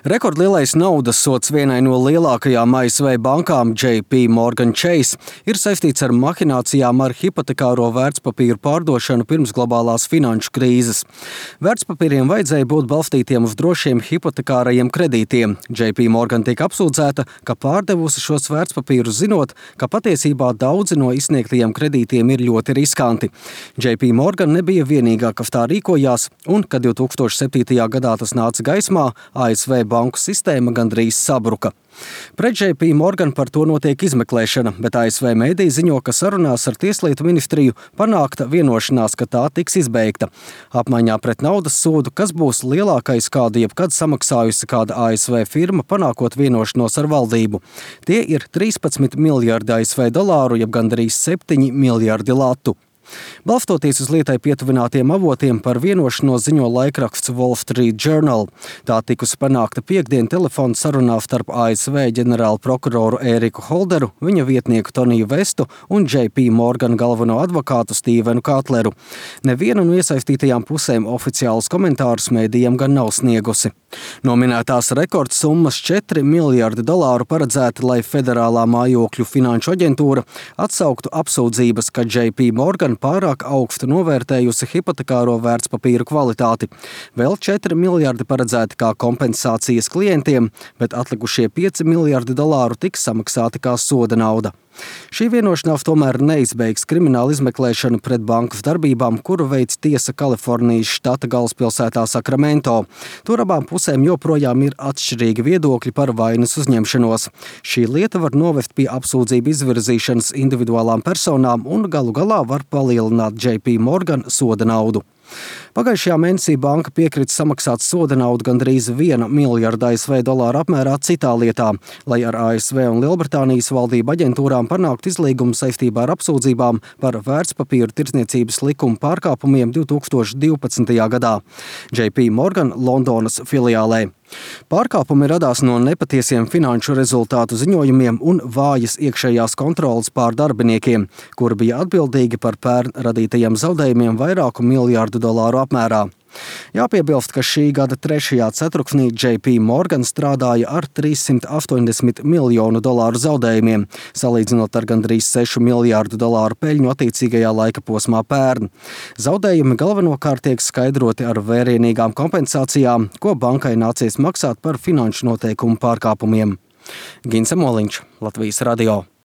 Rekordlielais naudas sods vienai no lielākajām ASV bankām JP Morgan Chase ir saistīts ar mahinācijām ar hipotekāro vērtspapīru pārdošanu pirms globālās finanšu krīzes. Vērtspapīriem vajadzēja būt balstītiem uz drošiem hipotekārajiem kredītiem. JP Morgan tika apsūdzēta, ka pārdevusi šos vērtspapīrus zinot, ka patiesībā daudzi no izsniegtajiem kredītiem ir ļoti riskanti. JP Morgan nebija vienīgā, kas tā rīkojās, un, kad 2007. gadā tas nāca gaismā, ASV banku sistēma gandrīz sabruka. Pret JP Morgan par to notiek izmeklēšana, bet ASV mēdīji ziņo, ka sarunās ar Tieslietu ministriju panākta vienošanās, ka tā tiks izbeigta. Apmaiņā pret naudas sodu, kas būs lielākais, kādu jebkad samaksājusi kāda ASV firma, panākot vienošanos ar valdību. Tie ir 13 miljardi ASV dolāru, jeb gandrīz 7 miljardi latu. Balstoties uz lietai pietuvinātiem avotiem, par vienošanos ziņo laikraksts Wall Street Journal. Tā tikusi panākta piektdien telefona sarunā starp ASV ģenerālu prokuroru Eriku Holderu, viņa vietnieku Toniju Vestu un JP Morgan galveno advokātu Stevenu Katleru. Neviena no iesaistītajām pusēm oficiālus komentārus mēdījiem gan nav sniegusi. No minētās rekordsummas 4 miljardi dolāru paredzēti, lai Federālā mājokļu finanšu aģentūra atsauktu apsūdzības, ka JP Morgan pārāk augstu novērtējusi hipotekāro vērtspapīru kvalitāti. Vēl 4 miljardi paredzēti kā kompensācijas klientiem, bet atlikušie 5 miljardi dolāru tiks samaksāti kā soda nauda. Šī vienošanās tomēr neizbeigs kriminālu izmeklēšanu pret bankas darbībām, kuru veic tiesa Kalifornijas štata galvaspilsētā Sakramento. Tur abām pusēm joprojām ir atšķirīgi viedokļi par vainas uzņemšanos. Šī lieta var novest pie apsūdzību izvirzīšanas individuālām personām un galu galā var palielināt JP Morgan soda naudu. Pagājušajā mēnesī banka piekrita samaksāt soda naudu gandrīz 1 miljardu ASV dolāru apmērā citā lietā, lai ar ASV un Lielbritānijas valdību aģentūrām panāktu izlīgumu saistībā ar apsūdzībām par vērtspapīru tirdzniecības likuma pārkāpumiem 2012. gadā JP Morgan Londonas filiālē. Pārkāpumi radās no nepatiesiem finanšu rezultātu ziņojumiem un vājas iekšējās kontroles pār darbiniekiem, kuri bija atbildīgi par pērn radītajiem zaudējumiem vairāku miljārdu dolāru apmērā. Jāpiebilst, ka šī gada 3. ceturksnī JP Morgan strādāja ar 380 miljonu dolāru zaudējumiem, salīdzinot ar gandrīz 6 miljārdu dolāru peļņu attiecīgajā laika posmā pērn. Zaudējumi galvenokārt tiek skaidroti ar vērienīgām kompensācijām, ko bankai nācies maksāt par finanšu noteikumu pārkāpumiem. Gins Moliņš, Latvijas radio.